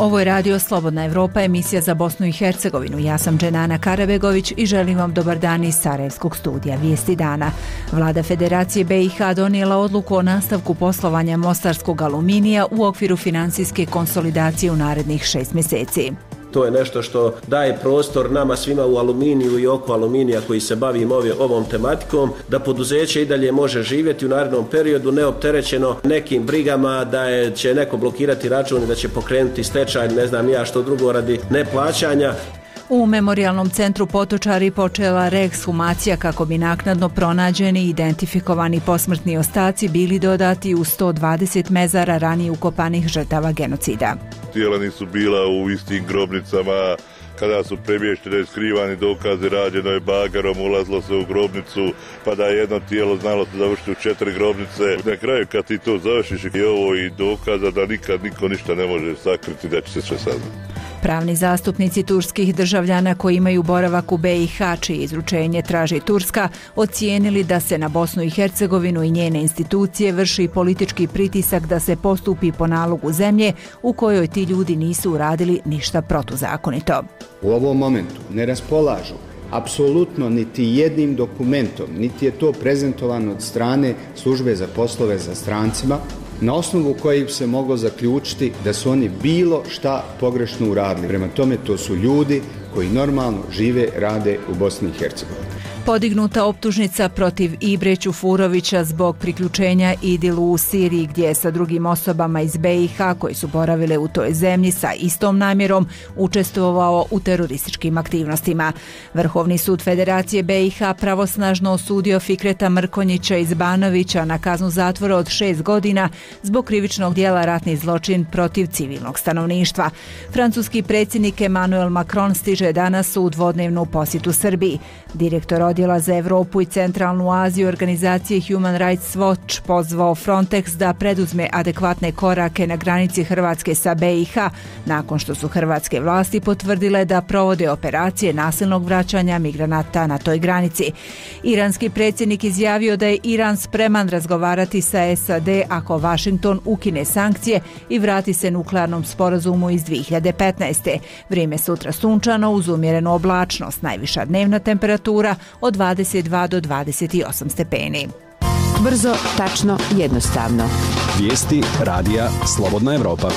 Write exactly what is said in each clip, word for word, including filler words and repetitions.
Ovo je radio Slobodna Evropa, emisija za Bosnu i Hercegovinu. Ja sam Dženana Karabegović i želim vam dobar dan iz Sarajevskog studija Vijesti dana. Vlada Federacije B i H donijela odluku o nastavku poslovanja mostarskog aluminija u okviru finansijske konsolidacije u narednih šest mjeseci. To je nešto što daje prostor nama svima u aluminiju i oko aluminija koji se bavimo ovom tematikom, da poduzeće i dalje može živjeti u narednom periodu neopterećeno nekim brigama, da je, će neko blokirati račun i da će pokrenuti stečaj, ne znam ja što drugo radi neplaćanja. U Memorijalnom centru Potočari počela reekshumacija kako bi naknadno pronađeni i identifikovani posmrtni ostaci bili dodati u sto dvadeset mezara ranije ukopanih žrtava genocida. Tijela nisu bila u istim grobnicama, kada su premještene skrivani dokazi, rađeno je bagarom, ulazilo se u grobnicu, pa da je jedno tijelo znalo se završiti u četiri grobnice. Na kraju kad ti to završiš i ovo i dokaza da nikad niko ništa ne može sakriti, da će se sve saznati. Pravni zastupnici turskih državljana koji imaju boravak u B i H, čije izručenje traži Turska, ocijenili da se na Bosnu i Hercegovinu i njene institucije vrši politički pritisak da se postupi po nalogu zemlje u kojoj ti ljudi nisu uradili ništa protuzakonito. U ovom momentu ne raspolažu apsolutno niti jednim dokumentom, niti je to prezentovano od strane službe za poslove za strancima, na osnovu kojih se moglo zaključiti da su oni bilo šta pogrešno uradili. Prema tome, to su ljudi koji normalno žive, rade u Bosni i Hercegovini. Podignuta optužnica protiv Ibre Čufurovića zbog priključenja Idilu u Siriji, gdje je sa drugim osobama iz B i H koji su boravile u toj zemlji sa istom namjerom učestvovao u terorističkim aktivnostima. Vrhovni sud Federacije B i H pravosnažno osudio Fikreta Mrkonjića iz Banovića na kaznu zatvora od šest godina zbog krivičnog dijela ratni zločin protiv civilnog stanovništva. Francuski predsjednik Emmanuel Macron stiže danas u dvodnevnu posjetu Srbiji. Direktor Odjela za Evropu i Centralnu Aziju organizacije Human Rights Watch pozvao Frontex da preduzme adekvatne korake na granici Hrvatske sa B i H nakon što su hrvatske vlasti potvrdile da provode operacije nasilnog vraćanja migranata na toj granici. Iranski predsjednik izjavio da je Iran spreman razgovarati sa S A D ako Washington ukine sankcije i vrati se nuklearnom sporazumu iz dvije hiljade petnaeste. Vrijeme sutra sunčano uz umjerenu oblačnost, najviša dnevna temperatura od dvadeset dva do dvadeset osam stepeni. Brzo, tačno, jednostavno. Vijesti radija Slobodna Evropa.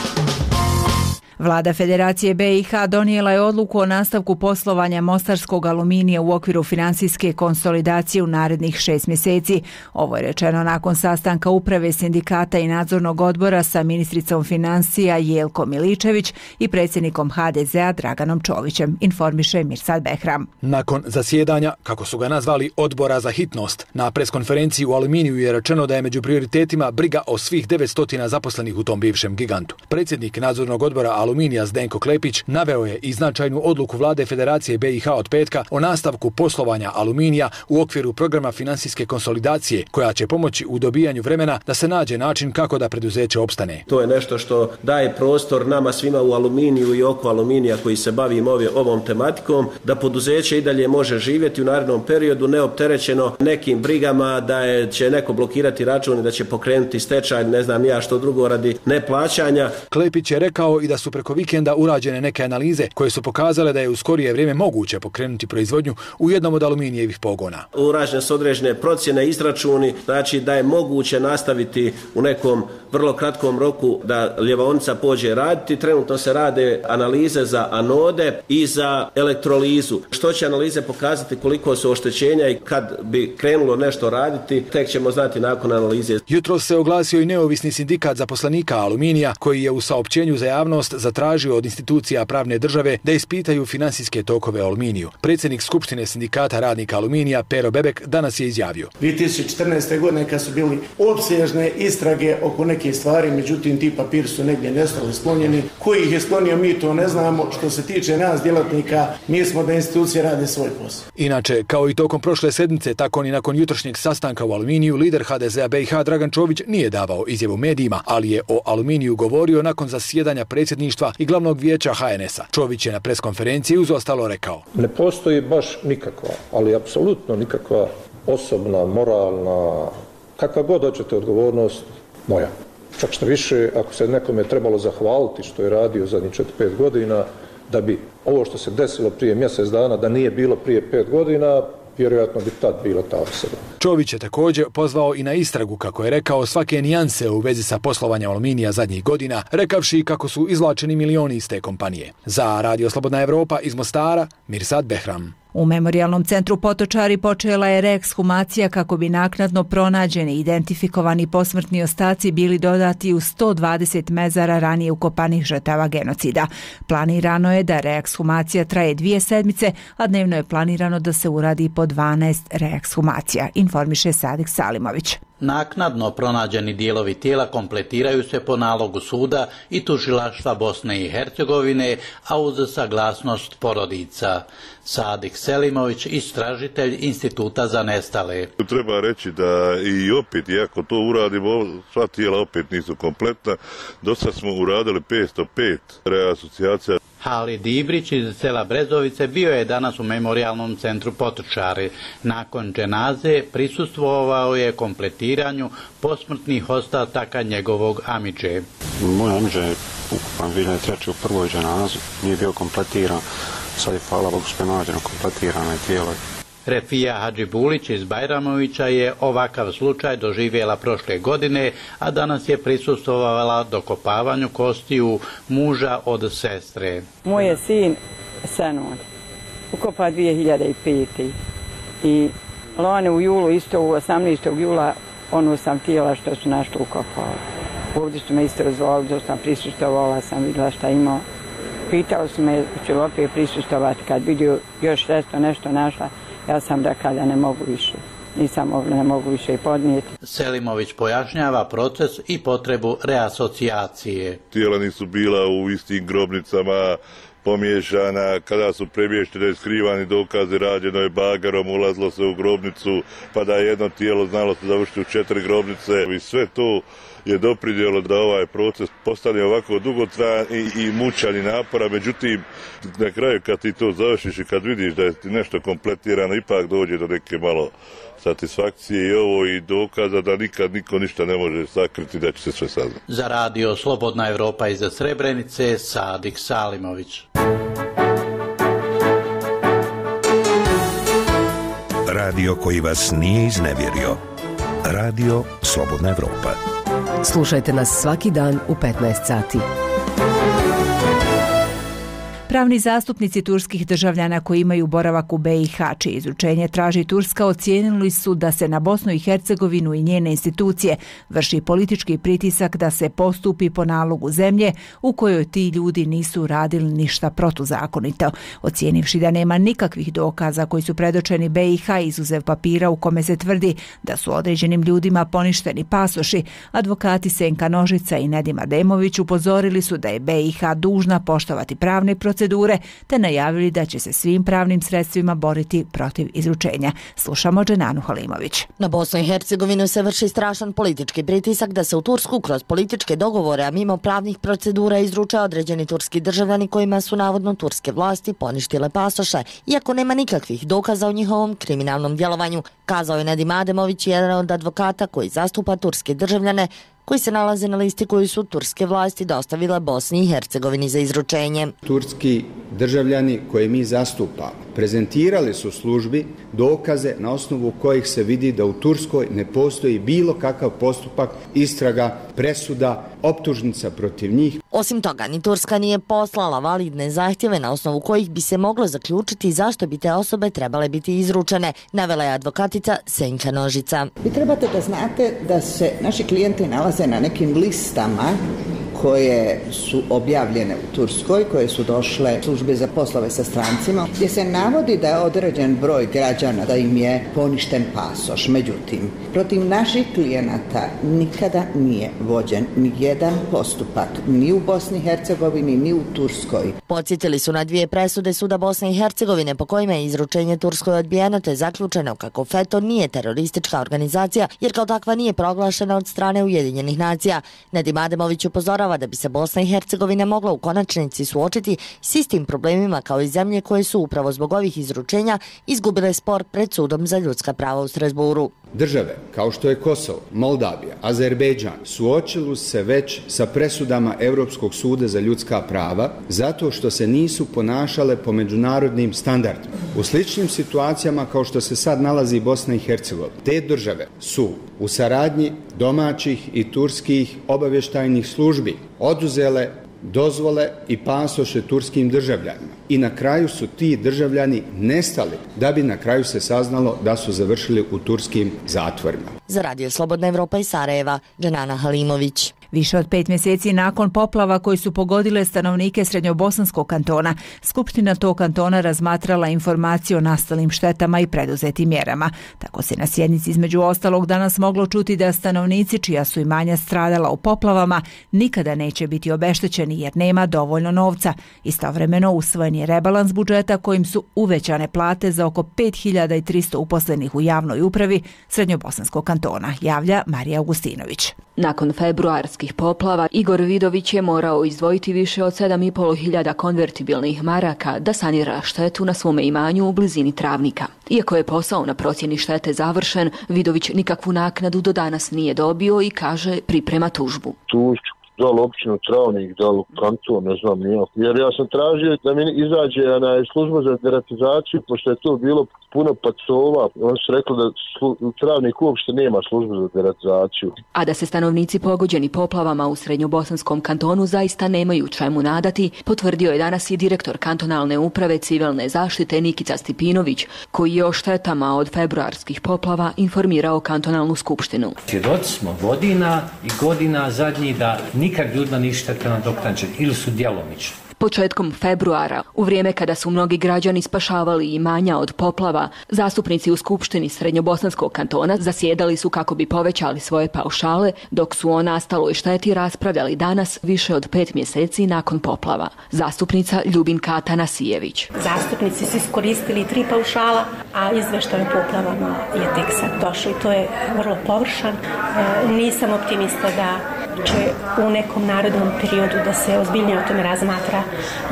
Vlada Federacije B i H donijela je odluku o nastavku poslovanja mostarskog aluminija u okviru finansijske konsolidacije u narednih šest mjeseci. Ovo je rečeno nakon sastanka uprave sindikata i nadzornog odbora sa ministricom financija Jelkom Miličević i predsjednikom H D Z-a Draganom Čovićem, informiše Mirsad Behram. Nakon zasjedanja, kako su ga nazvali, odbora za hitnost, na preskonferenciji u aluminiju je rečeno da je među prioritetima briga o svih devetsto zaposlenih u tom bivšem gigantu. Predsjednik nadzornog odbora Aluminija Zdenko Klepić naveo je i značajnu odluku Vlade Federacije B i H od petka o nastavku poslovanja aluminija u okviru programa finansijske konsolidacije koja će pomoći u dobijanju vremena da se nađe način kako da preduzeće opstane. To je nešto što daje prostor nama svima u aluminiju i oko aluminija koji se bavimo ovom tematikom, da poduzeće i dalje može živjeti u narednom periodu neopterećeno nekim brigama, da je, će neko blokirati račun i da će pokrenuti stečaj, ne znam ja što drugo radi neplaćanja. Klepić je rekao i da su preko vikenda urađene neke analize koje su pokazale da je u skorije vrijeme moguće pokrenuti proizvodnju u jednom od aluminijevih pogona. Urađene su određene procjene, izračuni, znači da je moguće nastaviti u nekom vrlo kratkom roku da ljevaonica pođe raditi. Trenutno se rade analize za anode i za elektrolizu. Što će analize pokazati koliko su oštećenja i kad bi krenulo nešto raditi, tek ćemo znati nakon analize. Jutros se oglasio i neovisni sindikat zaposlenika aluminija koji je u saopćenju za javnost zatražio od institucija pravne države da ispitaju finansijske tokove aluminiju. Predsjednik Skupštine sindikata radnika aluminija Pero Bebek danas je izjavio: dvije tisuće četrnaeste. godine kad su bili opsežne istrage oko neke stvari, međutim ti papiri su negdje nestali, sklonjeni. Koji ih je sklonio mi to ne znamo. Što se tiče nas djelatnika, mi smo da institucije rade svoj posao. Inače, kao i tokom prošle sedmice, tako ni nakon jutrošnjeg sastanka u aluminiju, lider H D Z-a B i H Dragan Čović nije davao izjavu medijima, ali je o aluminiju govorio nakon zasjedanja predsjedništva i glavnog vijeća H N S-a. Čović je na preskonferenciji uz ostalo rekao: ne postoji baš nikakva, ali apsolutno nikakva osobna, moralna, kakva god hoćete odgovornost moja. Čak što više, ako se nekome trebalo zahvaliti što je radio zadnjih četiri pet godina, da bi ovo što se desilo prije mjesec dana, da nije bilo prije pet godina, vjerojatno bi tad bila ta osoba. Čović je također pozvao i na istragu, kako je rekao, svake nijanse u vezi sa poslovanjem Aluminija zadnjih godina, rekavši kako su izvlačeni milioni iz te kompanije. Za Radio Slobodna Evropa iz Mostara, Mirsad Behram. U Memorijalnom centru Potočari počela je reekshumacija kako bi naknadno pronađeni i identifikovani posmrtni ostaci bili dodati u sto dvadeset mezara ranije ukopanih žrtava genocida. Planirano je da reekshumacija traje dvije sedmice, a dnevno je planirano da se uradi po dvanaest reekshumacija, informiše Sadik Salimović. Naknadno pronađeni dijelovi tijela kompletiraju se po nalogu suda i tužilaštva Bosne i Hercegovine, a uz saglasnost porodica. Sadik Selimović, istražitelj Instituta za nestale. Treba reći da i opet, iako to uradimo, sva tijela opet nisu kompletna. Do sad smo uradili petsto pet reasocijacija. Halid Ibrić iz sela Brezovice bio je danas u Memorijalnom centru Potočari. Nakon dženaze prisustvovao je kompletiranju posmrtnih ostataka njegovog amidže. Moj amidže je ukupan dvije hiljade treće u prvoj dženazi, nije bio kompletiran, sad je hvala Bogu što je nađeno kompletirano je tijelo. Refija Hadžibulić iz Bajramovića je ovakav slučaj doživjela prošle godine, a danas je prisustvovala dokopavanju kostiju muža od sestre. Moj je sin Senun ukopa dvije hiljade pete. i lani u julu, isto u osamnaestog jula, ono sam tijela što su našli ukopali. Ovdje su me isto razvolili, da sam prisustovala, sam vidjela šta imao. Pitao su me, ću li opet prisustovati, kad vidio još nešto, nešto našla, ja sam rekla da ne mogu više. Nisam mogla, ne mogu više i podnijeti. Selimović pojašnjava proces i potrebu reasocijacije. Tijela nisu bila u istim grobnicama, pomiješana, kada su premještene skrivani dokazi, rađeno je bagarom, ulazilo se u grobnicu, pa da je jedno tijelo znalo se završiti u četiri grobnice i sve to je doprinijelo da ovaj proces postane ovako dugotrajan i, i mučan i napora. Međutim, na kraju kad ti to završiš i kad vidiš da je nešto kompletirano, ipak dođe do neke malo satisfakcije i ovo i dokaza da nikad niko ništa ne može sakriti, da će se sve saznati. Za radio Slobodna Evropa iz Srebrenice, Sadik Salimović. Radio koji vas nije iznevjerio. Radio Slobodna Evropa. Slušajte nas svaki dan u petnaest sati. Pravni zastupnici turskih državljana koji imaju boravak u B i H, čije izručenje traži Turska, ocijenili su da se na Bosnu i Hercegovinu i njene institucije vrši politički pritisak da se postupi po nalogu zemlje u kojoj ti ljudi nisu radili ništa protuzakonito. Ocijenivši da nema nikakvih dokaza koji su predočeni B i H izuzev papira u kome se tvrdi da su određenim ljudima poništeni pasoši, advokati Senka Nožica i Nedim Ademović upozorili su da je B i H dužna poštovati pravne procedure procedure, te najavili da će se svim pravnim sredstvima boriti protiv izručenja. Slušamo Dženanu Halimović. Na Bosnu i Hercegovinu se vrši strašan politički pritisak da se u Tursku kroz političke dogovore, a mimo pravnih procedura, izruče određeni turski državljani kojima su navodno turske vlasti poništile pasoše, iako nema nikakvih dokaza o njihovom kriminalnom djelovanju, kazao je Nedim Ademović, jedan od advokata koji zastupa turske državljane koji se nalaze na listi koju su turske vlasti dostavile Bosni i Hercegovini za izručenje. Turski državljani koje mi zastupamo prezentirali su službi dokaze na osnovu kojih se vidi da u Turskoj ne postoji bilo kakav postupak, istraga, presuda, optužnica protiv njih. Osim toga, ni Turska nije poslala validne zahtjeve na osnovu kojih bi se moglo zaključiti zašto bi te osobe trebale biti izručene, navela je advokatica Senka Nožica. Vi trebate da znate da se naši klijenti nalaze na nekim listama koje su objavljene u Turskoj, koje su došle službe za poslove sa strancima, gdje se navodi da je određen broj građana da im je poništen pasoš. Međutim, protiv naših klijenata nikada nije vođen ni jedan postupak, ni u Bosni i Hercegovini, ni u Turskoj. Podsjetili su na dvije presude suda Bosne i Hercegovine po kojima je izručenje Turskoj odbijeno, te zaključeno kako FETÖ nije teroristička organizacija, jer kao takva nije proglašena od strane Ujedinjenih nacija. Nedim Ademović upozorava da bi se Bosna i Hercegovina mogla u konačnici suočiti s istim problemima kao i zemlje koje su upravo zbog ovih izručenja izgubile spor pred sudom za ljudska prava u Strasburu. Države kao što je Kosovo, Moldavija, Azerbejdžan suočili se već sa presudama Europskog suda za ljudska prava zato što se nisu ponašale po međunarodnim standardima. U sličnim situacijama kao što se sad nalazi Bosna i Hercegovina, te države su u saradnji domaćih i turskih obavještajnih službi oduzele dozvole i pasoše turskim državljanima. I na kraju su ti državljani nestali, da bi na kraju se saznalo da su završili u turskim zatvorima. Za Radio Slobodna Evropa iz Sarajeva, Dženana Halimović. Više od pet mjeseci nakon poplava koji su pogodile stanovnike Srednjobosanskog kantona, Skupština tog kantona razmatrala informacije o nastalim štetama i preduzetim mjerama. Tako se na sjednici između ostalog danas moglo čuti da stanovnici čija su imanja stradala u poplavama nikada neće biti obeštećeni jer nema dovoljno novca. Istovremeno usvojen je rebalans budžeta kojim su uvećane plate za oko pet hiljada tristo uposlenih u javnoj upravi Srednjobosanskog kantona, javlja Marija Augustinović. Nakon februarskih poplava, Igor Vidović je morao izdvojiti više od sedam i pol hiljada konvertibilnih maraka da sanira štetu na svome imanju u blizini Travnika. Iako je posao na procjeni štete završen, Vidović nikakvu naknadu do danas nije dobio i kaže priprema tužbu. Tužbu, da li općinu Travnik, da li kanton, ne znam nijako. Jer ja sam tražio da mi izađe na služba za deratizaciju, pošto je to bilo puno pacova. Oni su rekli da slu, Travnik uopšte nema službu za deratizaciju. A da se stanovnici pogođeni poplavama u Srednjobosanskom kantonu zaista nemaju čemu nadati, potvrdio je danas i direktor kantonalne uprave civilne zaštite Nikica Stipinović, koji je o štetama od februarskih poplava informirao kantonalnu skupštinu. Svjedoci smo godina i godina zadnji da nikad ljudima ništa štete nadoknađene ili su djelomični. Početkom februara, u vrijeme kada su mnogi građani spašavali imanja od poplava, zastupnici u Skupštini Srednjobosanskog kantona zasjedali su kako bi povećali svoje paušale, dok su o nastaloj šteti raspravljali danas više od pet mjeseci nakon poplava. Zastupnica Ljubinka Atanasijević. Zastupnici su iskoristili tri paušala, a izveštaj o poplavama je tek sad došao i to je vrlo površan. E, nisam optimista da će u nekom narednom periodu da se ozbiljnije o tome razmatra,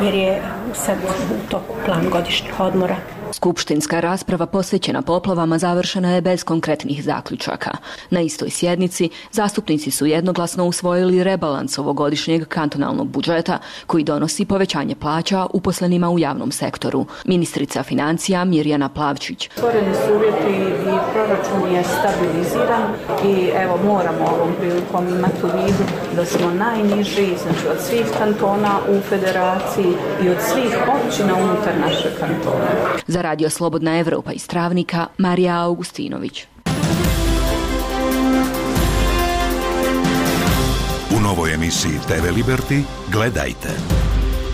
jer je sad u toku plan godišnjih odmora. Skupštinska rasprava posvećena poplavama završena je bez konkretnih zaključaka. Na istoj sjednici zastupnici su jednoglasno usvojili rebalans ovogodišnjeg kantonalnog budžeta koji donosi povećanje plaća uposlenima u javnom sektoru. Ministrica financija Mirjana Plavčić. Stvoreni su uvjeti i proračun je stabiliziran i evo moramo ovom prilikom imati u vidu da smo najniži, znači od svih kantona u federaciji i od svih općina unutar našeg kantona. Za Radio Slobodna Evropa iz Travnika, Marija Augustinović. U novoj emisiji T V Liberty gledajte.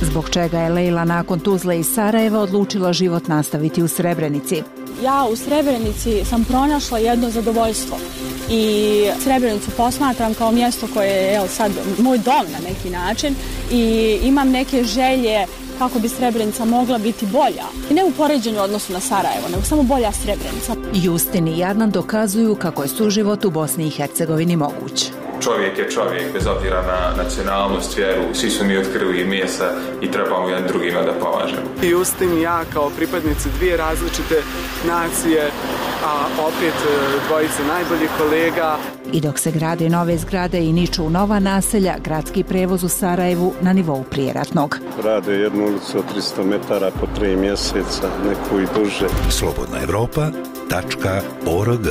Zbog čega je Lejla nakon Tuzle iz Sarajeva odlučila život nastaviti u Srebrenici? Ja u Srebrenici sam pronašla jedno zadovoljstvo i Srebrenicu posmatram kao mjesto koje je evo, sad moj dom na neki način i imam neke želje kako bi Srebrenica mogla biti bolja. I ne u poređenju odnosu na Sarajevo, nego samo bolja Srebrenica. Justin i Jarnan dokazuju kako je suživot u Bosni i Hercegovini moguć. Čovjek je čovjek, bez obzira na nacionalnost, vjeru, svi su mi od krvi i mesa i trebamo jedan drugima da pomažemo. Justin i ja kao pripadnici dvije različite nacije, a opet dvojice najboljih kolega. I dok se grade nove zgrade i niču nova naselja, gradski prevoz u Sarajevu na nivou prijeratnog. Rade jednu ulicu od tristo metara po tri mjeseca, neku i duže. Slobodna Evropa tačka org.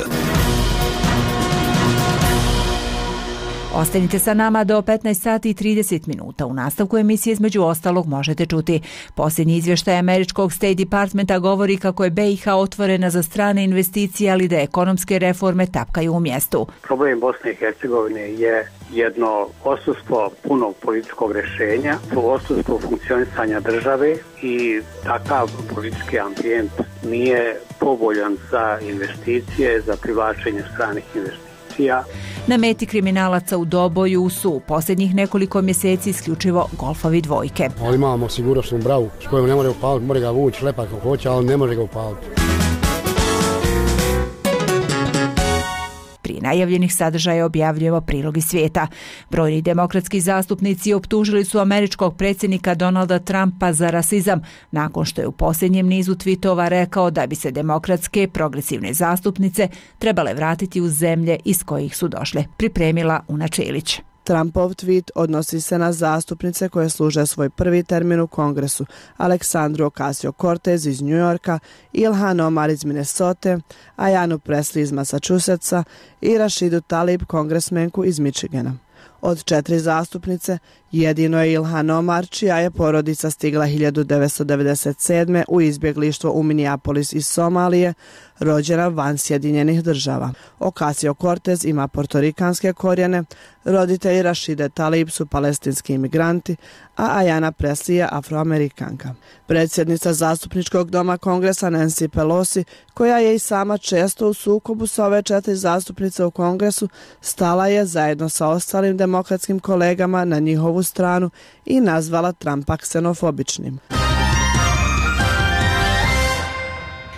Ostanite sa nama do petnaest sati i trideset minuta. U nastavku emisije između ostalog možete čuti. Posljednji izvještaj američkog State Departmenta govori kako je B i H otvorena za strane investicije, ali da ekonomske reforme tapkaju u mjestu. Problem Bosne i Hercegovine je jedno odsustvo punog političkog rješenja, odsustvo funkcionisanja države i takav politički ambijent nije povoljan za investicije, za privlačenje stranih investicija. Na meti kriminalaca u Doboju su u posljednjih nekoliko mjeseci isključivo golfovi dvojke. Ali imamo sigurnosnu bravu s kojom ne može upaliti, može ga vući lepa kako hoće, ali ne može ga upaliti. Prije najavljenih sadržaja objavljujemo prilog iz svijeta. Brojni demokratski zastupnici optužili su američkog predsjednika Donalda Trumpa za rasizam nakon što je u posljednjem nizu tweetova rekao da bi se demokratske progresivne zastupnice trebale vratiti u zemlje iz kojih su došle. Pripremila Una Čelić. Trumpov tweet odnosi se na zastupnice koje služe svoj prvi termin u Kongresu: Aleksandru Ocasio-Cortez iz New Yorka, Ilhan Omar iz Minnesota, Ayanu Presley iz Massachusettsa i Rashidu Tlaib, kongresmenku iz Michigana. Od četiri zastupnice, jedino je Ilhan Omar, čija je porodica stigla hiljadu devetsto devedeset sedme. u izbjeglištvo u Minneapolis iz Somalije, rođena van Sjedinjenih država. Ocasio-Cortez ima portorikanske korijene, roditelji Rashide Tlaib su palestinski imigranti, a Ayana Presley je afroamerikanka. Predsjednica zastupničkog doma Kongresa Nancy Pelosi, koja je i sama često u sukobu sa ove četiri zastupnice u Kongresu, stala je zajedno sa ostalim demokratskim kolegama na njihovu stranu i nazvala Trumpa ksenofobičnim.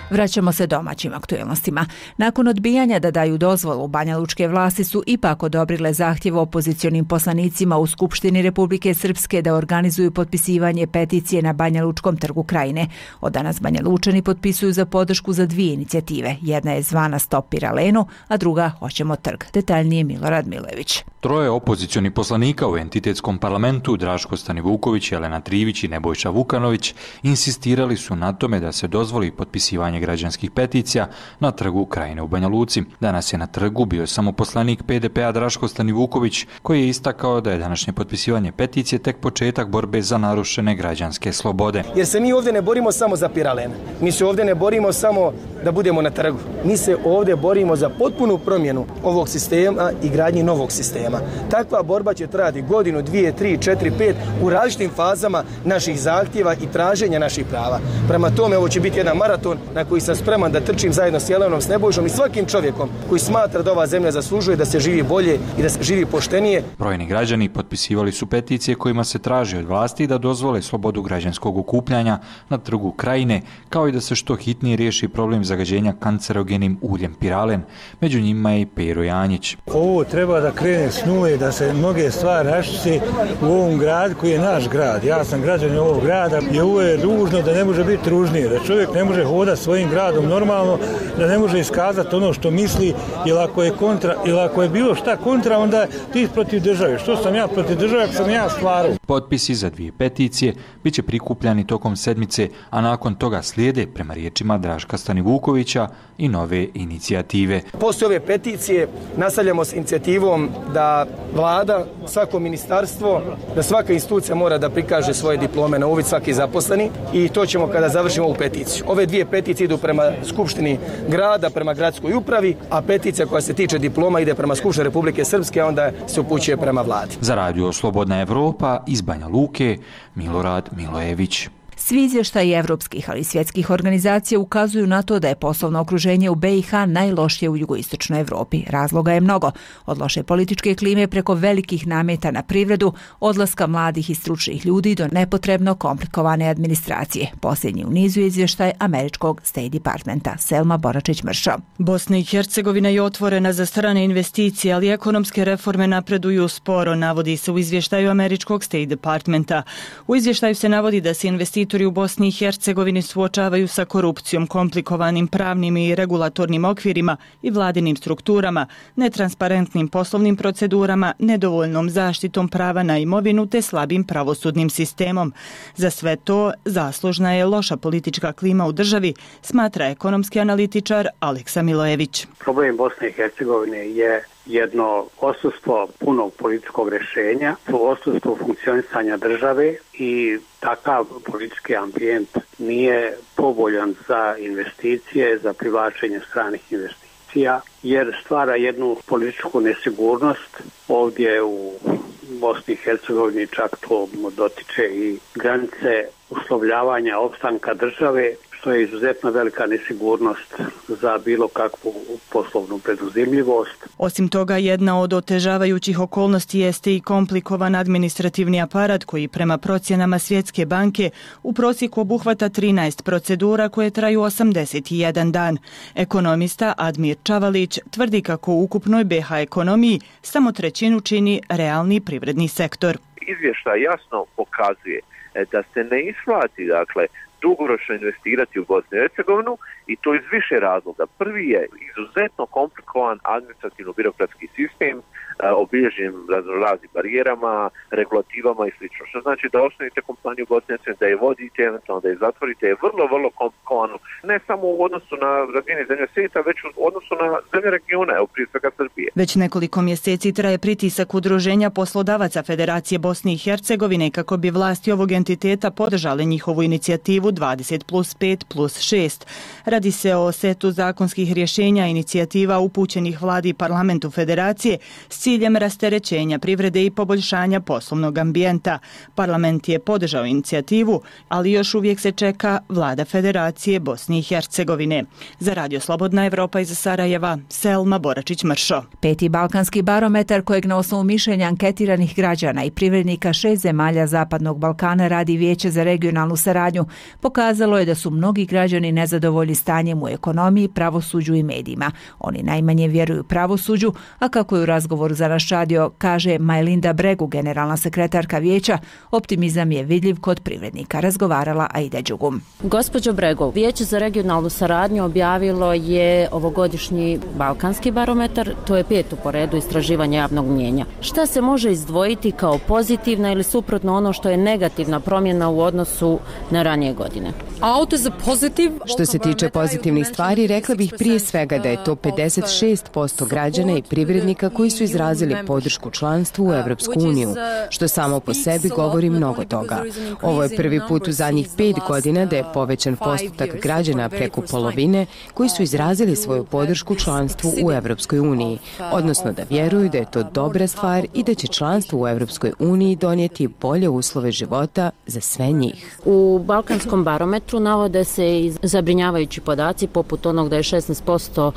Vraćamo se domaćim aktuelnostima. Nakon odbijanja da daju dozvolu, banjalučke vlasti su ipak odobrile zahtjev opozicionim poslanicima u Skupštini Republike Srpske da organizuju potpisivanje peticije na Banjalučkom trgu Krajine. Od danas Banjalučani potpisuju za podršku za dvije inicijative. Jedna je zvana Stop Piralenu, a druga Hoćemo trg. Detaljnije Milorad Milojević. Troje opozicionih poslanika u entitetskom parlamentu, Draško Stanivuković, Jelena Trivić i Nebojša Vukanović, insistirali su na tome da se dozvoli potpisivanje građanskih peticija na trgu Krajine u Banja Luci. Danas je na trgu bio samo poslanik P D P-a Draško Stanivuković, koji je istakao da je današnje potpisivanje peticije tek početak borbe za narušene građanske slobode. Jer se mi ovdje ne borimo samo za Piralen, mi se ovdje ne borimo samo da budemo na trgu, mi se ovdje borimo za potpunu promjenu ovog sistema i gradnji novog sistema. Takva borba će trajati godinu, dvije, tri, četiri, pet u različitim fazama naših zahtjeva i traženja naših prava. Prema tome, ovo će biti jedan maraton na koji sam spreman da trčim zajedno s Jelenom, s Nebojšom i svakim čovjekom koji smatra da ova zemlja zaslužuje da se živi bolje i da se živi poštenije. Brojni građani potpisivali su peticije kojima se traži od vlasti da dozvole slobodu građanskog okupljanja na trgu Krajine, kao i da se što hitnije riješi problem zagađenja kancerogenim uljem piralen. Među njima je i Pero Janjić. Ovo treba da krene s nule, da se mnoge stvari raščisti u ovom gradu koji je naš grad. Ja sam građanin ovog grada i ovo je ružno da ne može biti ružnije, da čovjek ne može hodati svojim gradom normalno, da ne može iskazati ono što misli, ili ako je kontra, ili ako je bilo šta kontra, onda ti protiv države. Što sam ja protiv države, ako sam ja stvarao. Potpisi za dvije peticije bit će prikupljani tokom sedmice, a nakon toga slijede, prema riječima Draška Stanivukovića, i nove inicijative. Poslije ove peticije nastavljamo s inicijativom da vlada, svako ministarstvo, da svaka institucija mora da prikaže svoje diplome na uvid, svaki zaposleni, i to ćemo kada završimo ovu peticiju. Ove dvije peticije idu prema Skupštini grada, prema gradskoj upravi, a peticija koja se tiče diploma ide prema Skupštini Republike Srpske, a onda se upućuje prema vladi. Za radio Slobodna Evropa iz Banja Luke, Milorad Milojević. Svi izvještaji evropskih, ali i svjetskih organizacija ukazuju na to da je poslovno okruženje u B i H najlošije u jugoistočnoj Evropi. Razloga je mnogo. Od loše političke klime preko velikih nameta na privredu, odlaska mladih i stručnih ljudi do nepotrebno komplikovane administracije. Posljednji u nizu je izvještaj američkog State Departmenta. Selma Boračić-Mršo. Bosna i Hercegovina je otvorena za strane investicije, ali ekonomske reforme napreduju sporo, navodi se u izvještaju američkog State Departmenta. U izvještaju se navodi da se investitori u Bosni i Hercegovini suočavaju sa korupcijom, komplikovanim pravnim i regulatornim okvirima i vladinim strukturama, netransparentnim poslovnim procedurama, nedovoljnom zaštitom prava na imovinu te slabim pravosudnim sistemom. Za sve to zaslužna je loša politička klima u državi, smatra ekonomski analitičar Aleksa Milojević. Problem Bosne i Hercegovine je jedno odsustvo punog političkog rješenja, odsustvo funkcionisanja države i takav politički ambijent nije povoljan za investicije, za privlačenje stranih investicija, jer stvara jednu političku nesigurnost. Ovdje u Bosni i Hercegovini čak to dotiče i granice uslovljavanja opstanka države, što je izuzetno velika nesigurnost za bilo kakvu poslovnu preduzimljivost. Osim toga, jedna od otežavajućih okolnosti jeste i komplikovan administrativni aparat koji prema procjenama Svjetske banke u prosjeku obuhvata trinaest procedura koje traju osamdeset jedan dan. Ekonomista Admir Čavalić tvrdi kako u ukupnoj B H ekonomiji samo trećinu čini realni privredni sektor. Izvještaj jasno pokazuje da se ne isplati, dakle, dugoročno investirati u Bosnu i Hercegovinu i to iz više razloga. Prvi je izuzetno komplikovan administrativno-birokratski sistem obilježen raznim barijerama, regulativama i sl. Što znači da osnovite kompaniju u Bosni i Hercegovini, da je vodite, eventualno da je zatvorite, je vrlo, vrlo komplikovano. Ne samo u odnosu na razine zemlje svijeta, već u odnosu na zemlje regiona, evo prije svega Srbije. Već nekoliko mjeseci traje pritisak Udruženja poslodavaca Federacije Bosne i Hercegovine kako bi vlasti ovog entiteta podržale njihovu inicijativu dvadeset plus pet plus šest. Radi se o setu zakonskih rješenja inicijativa upućenih vladi i parlamentu Federacije s ciljem rasterećenja privrede i poboljšanja poslovnog ambijenta. Parlament je podržao inicijativu, ali još uvijek se čeka vlada Federacije Bosne i Hercegovine. Za Radio Slobodna Evropa iz Sarajeva, Selma Boračić-Mršo. Peti balkanski barometar kojeg na osnovu mišljenja anketiranih građana i privrednika šest zemalja Zapadnog Balkana radi Vijeće za regionalnu saradnju, pokazalo je da su mnogi građani nezadovoljni stanjem u ekonomiji, pravosuđu i medijima. Oni najmanje vjeruju pravosuđu, a kako je u razgovoru za naš radio kaže Majlinda Bregu, generalna sekretarka Vijeća, optimizam je vidljiv kod privrednika. Razgovarala Aida Đugum. Gospođo Bregu, Vijeće za regionalnu saradnju objavilo je ovogodišnji balkanski barometar, to je petu po redu istraživanja javnog mnjenja. Šta se može izdvojiti kao pozitivna ili suprotno ono što je negativna promjena u odnosu na ranije godine? Što se tiče pozitivnih stvari, rekla bih prije svega da je to pedeset šest posto građana i privrednika koji su izrazili podršku članstvu u Evropsku uniju, što samo po sebi govori mnogo toga. Ovo je prvi put u zadnjih pet godina da je povećan postotak građana preko polovine koji su izrazili svoju podršku članstvu u Evropskoj uniji, odnosno da vjeruju da je to dobra stvar i da će članstvo u Evropskoj uniji donijeti bolje uslove života za sve njih. U balkanskom barometru navode se i zabrinjavajući podaci poput onog da je šesnaest posto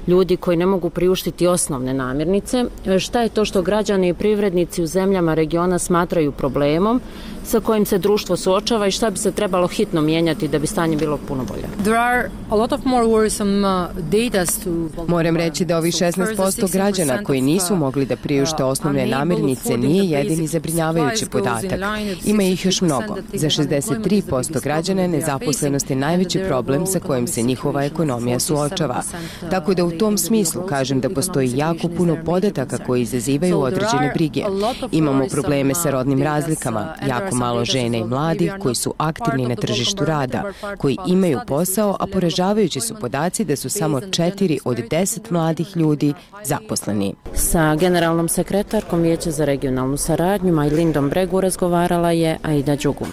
ljudi koji ne mogu priuštiti osnovne namirnice. Šta je to što građani i privrednici u zemljama regiona smatraju problemom sa kojim se društvo suočava i šta bi se trebalo hitno mijenjati da bi stanje bilo puno bolje? Moram reći da ovih šesnaest posto građana koji nisu mogli da priušte osnovne namirnice nije jedini zabrinjavajući podatak. Ima ih još mnogo. Za šezdeset tri posto građana je nezaposlenost je najveći problem sa kojim se njihova ekonomija suočava. Tako da u tom smislu kažem da postoji jako puno podataka koji izazivaju određene brige. Imamo probleme sa rodnim razlikama, jako malo žene i mladih koji su aktivni na tržištu rada, koji imaju posao, a poražavajući su podaci da su samo četiri od deset mladih ljudi zaposleni. Sa generalnom sekretarkom Vijeća za regionalnu saradnju Majlindom Bregu razgovarala je Aida Đugum.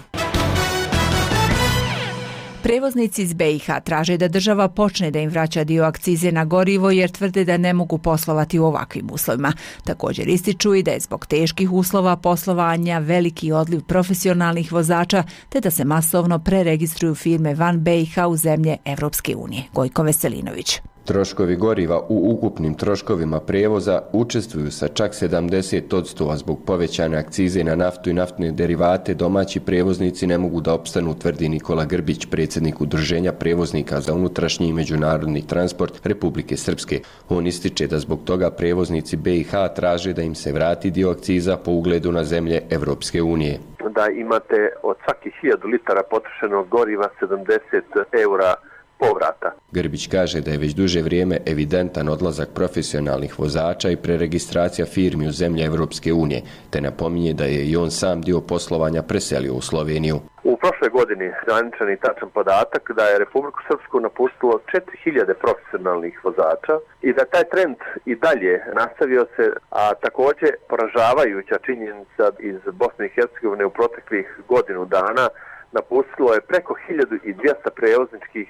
Prevoznici iz B i H traže da država počne da im vraća dio akcize na gorivo jer tvrde da ne mogu poslovati u ovakvim uslovima. Također ističu i da je zbog teških uslova poslovanja veliki odliv profesionalnih vozača te da se masovno preregistruju firme van B i H u zemlje Evropske unije. Gojko Veselinović. Troškovi goriva u ukupnim troškovima prevoza učestvuju sa čak sedamdeset posto, a zbog povećane akcize na naftu i naftne derivate domaći prevoznici ne mogu da opstanu, tvrdi Nikola Grbić, predsjednik Udruženja prevoznika za unutrašnji i međunarodni transport Republike Srpske. On ističe da zbog toga prevoznici B i H traže da im se vrati dio akciza po ugledu na zemlje Evropske unije. Da imate od svakih hiljadu litara potrošenog goriva sedamdeset eura povrata. Grbić kaže da je već duže vrijeme evidentan odlazak profesionalnih vozača i preregistracija firmi u zemlje Evropske unije, te napominje da je i on sam dio poslovanja preselio u Sloveniju. U prošloj godini zvaničan i tačan podatak da je Republiku Srpsku napustilo četiri hiljade profesionalnih vozača i da taj trend i dalje nastavio se, a također poražavajuća činjenica iz Bosne i Hercegovine u proteklih godinu dana napustilo je preko hiljadu dvjesto prevozničkih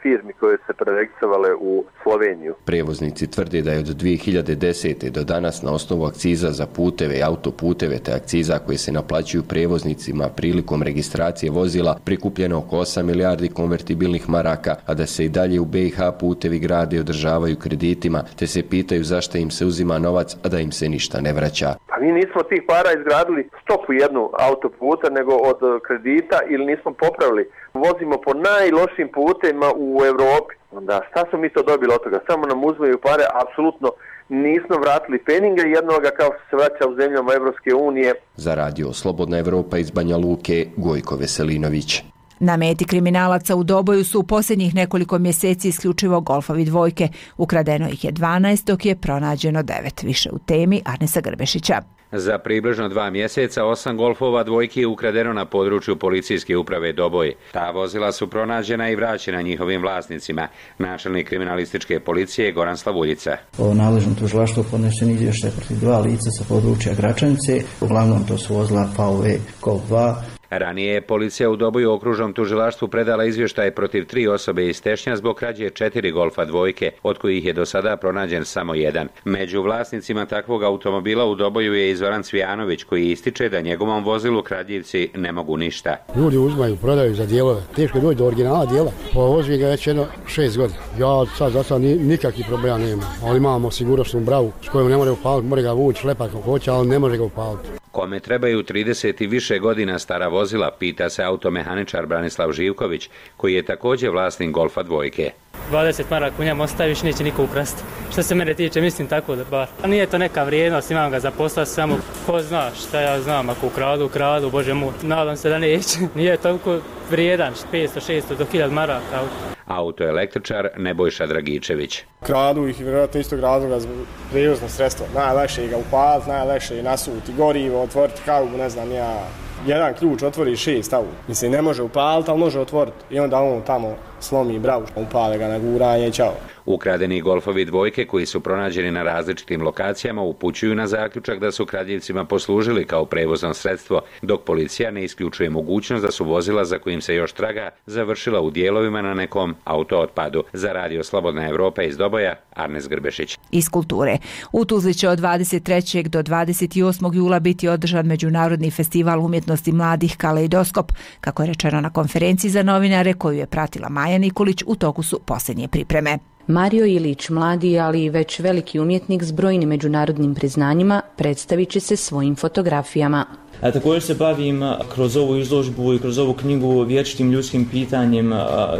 firmi koje se preregistrovale u Sloveniju. Prevoznici tvrde da je od dvije hiljade desete. do danas na osnovu akciza za puteve i autoputeve te akciza koje se naplaćuju prevoznicima prilikom registracije vozila prikupljeno oko osam milijardi konvertibilnih maraka, a da se i dalje u B i H putevi grade i održavaju kreditima, te se pitaju zašto im se uzima novac, a da im se ništa ne vraća. Pa mi nismo tih para izgradili stopu jednu autoputa, nego od kredita ili nismo popravili. Vozimo po najlošim putevima u Europi. Onda šta smo mi to dobili od toga? Samo nam uzmeju pare, apsolutno nismo vratili peninga jednoga kao što se vraća u zemljama Evropske unije. Za radio Slobodna Evropa iz Banja Luke, Gojko Veselinović. Na meti kriminalaca u Doboju su u posljednjih nekoliko mjeseci isključivo golfovi dvojke. Ukradeno ih je dvanaest, dok je pronađeno devet. Više u temi Arnesa Grbešića. Za približno dva mjeseca osam golfova dvojki je ukradeno na području policijske uprave Doboj. Ta vozila su pronađena i vraćena njihovim vlasnicima. Načelnik kriminalističke policije Goran Slavuljica. O nadležnom tužilaštvu podnesen izvještaj protiv dva lica sa područja Gračanice. Uglavnom to su vozila F V Golf dva. Ranije je policija u Doboju okružnom tužilaštvu predala izvještaj protiv tri osobe iz Tešnja zbog krađe četiri golfa dvojke, od kojih je do sada pronađen samo jedan. Među vlasnicima takvog automobila u Doboju je i Zoran Cvijanović, koji ističe da njegovom vozilu kradljivci ne mogu ništa. Ljudi uzmaju, prodaju za dijelove. Teško je doći do originala dijela. Povozim ga već jedno šest godina. Ja sad za sad nikakvih problema nema, ali imamo sigurnosnu bravu s kojom ne može upaliti, može ga vući, šlepat kako hoće, ali ne može ga upaliti. Kome trebaju trideset i više godina stara vozila, pita se automehaničar Branislav Živković, koji je također vlasnik golfa dvojke. dvadeset maraka u njemu ostaviš, neće niko ukrasti. Što se mene tiče, mislim tako da bar. A nije to neka vrijednost, imam ga za posla, samo ko zna šta ja znam, ako ukradu, ukradu, bože moj. Nadam se da neće. Nije toliko vrijedan, petsto šesto do hiljadu maraka. Autoelektričar Nebojša Dragičević. Kradu ih vjerojatno istog razloga za prijevozno sredstvo. Najlakše je ga upaliti, najlakše je nasuti gorivo, otvoriti haubu, ne znam ja. Jedan ključ otvori šest haubu. Mislim, ne može upaliti, ali može otvoriti. I onda on tamo slomi bravu, upale ga na guranje i čao. Ukradeni golfovi dvojke koji su pronađeni na različitim lokacijama upućuju na zaključak da su kradljivcima poslužili kao prevozno sredstvo, dok policija ne isključuje mogućnost da su vozila za kojim se još traga završila u dijelovima na nekom autootpadu. Za radio Slobodna Evropa iz Doboja, Arnes Grbešić. Iz kulture. U Tuzli će od dvadeset trećeg do dvadeset osmog jula biti održan Međunarodni festival umjetnosti mladih Kaleidoskop. Kako je rečeno na konferenciji za novinare koju je pratila Maja Nikolić, u toku su posljednje pripreme. Mario Ilić, mladi, ali i već veliki umjetnik s brojnim međunarodnim priznanjima, predstavit će se svojim fotografijama. A također se bavim kroz ovu izložbu i kroz ovu knjigu vječitim ljudskim pitanjem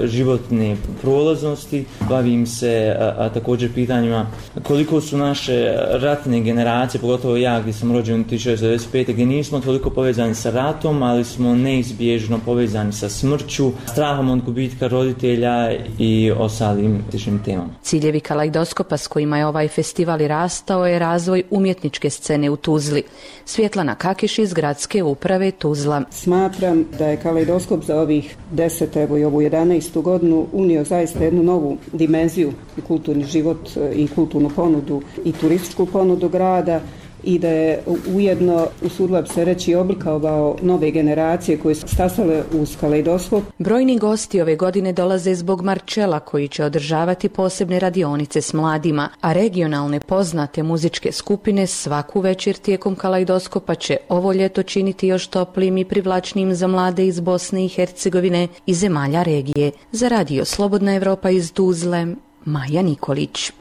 životne prolaznosti. Bavim se a, a također pitanjima koliko su naše ratne generacije, pogotovo ja gdje sam rođen tisuću devetsto devedeset pete. gdje nismo toliko povezani sa ratom, ali smo neizbježno povezani sa smrću, strahom od gubitka roditelja i ostalim sličnim temama. Ciljevi Kaleidoskopa s kojima je ovaj festival i rastao je razvoj umjetničke scene u Tuzli. Svjetlana Kakiš iz gradske uprave Tuzla. Smatram da je Kaleidoskop za ovih deset, evo i ovu jedanaestu godinu unio zaista jednu novu dimenziju i kulturni život i kulturnu ponudu i turističku ponudu grada i da je ujedno, usudila bi se reći, oblikovao nove generacije koje su stasale uz Kaleidoskop. Brojni gosti ove godine dolaze zbog Marčela koji će održavati posebne radionice s mladima, a regionalne poznate muzičke skupine svaku večer tijekom Kaleidoskopa će ovo ljeto činiti još toplijim i privlačnijim za mlade iz Bosne i Hercegovine i zemalja regije. Za radio Slobodna Evropa iz Tuzle, Maja Nikolić.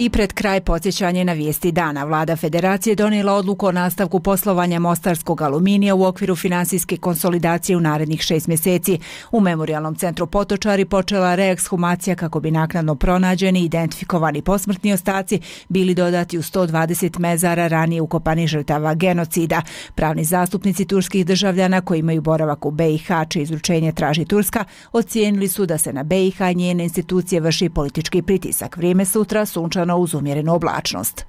I pred kraj podsjećanje na vijesti dana. Vlada Federacije donijela odluku o nastavku poslovanja Mostarskog aluminija u okviru finansijske konsolidacije u narednih šest mjeseci. U Memorijalnom centru Potočari počela reekshumacija kako bi naknadno pronađeni i identifikovani posmrtni ostaci bili dodati u sto dvadeset mezara ranije ukopanih žrtava genocida. Pravni zastupnici turskih državljana koji imaju boravak u B i H, čije izručenje traži Turska, ocijenili su da se na B i H i njene institucije vrši politički pritisak. Vrijeme sutra sunčano uz umjerenu oblačnost.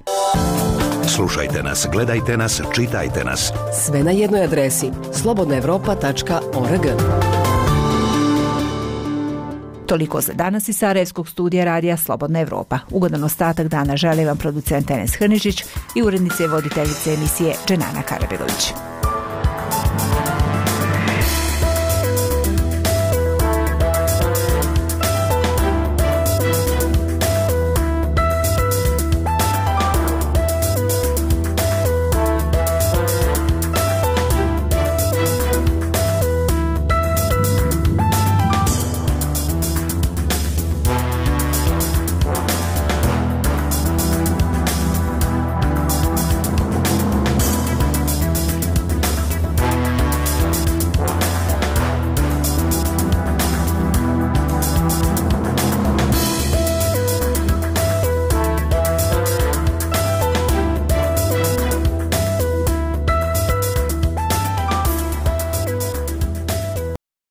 Slušajte nas, gledajte nas, čitajte nas. Sve na jednoj adresi slobodna evropa tačka org. Toliko za danas iz Sarajevskog studija radija Slobodna Evropa. Ugodan ostatak dana želi vam producent Enes Hrnižić i urednice i voditeljice emisije Dženana Karabegović.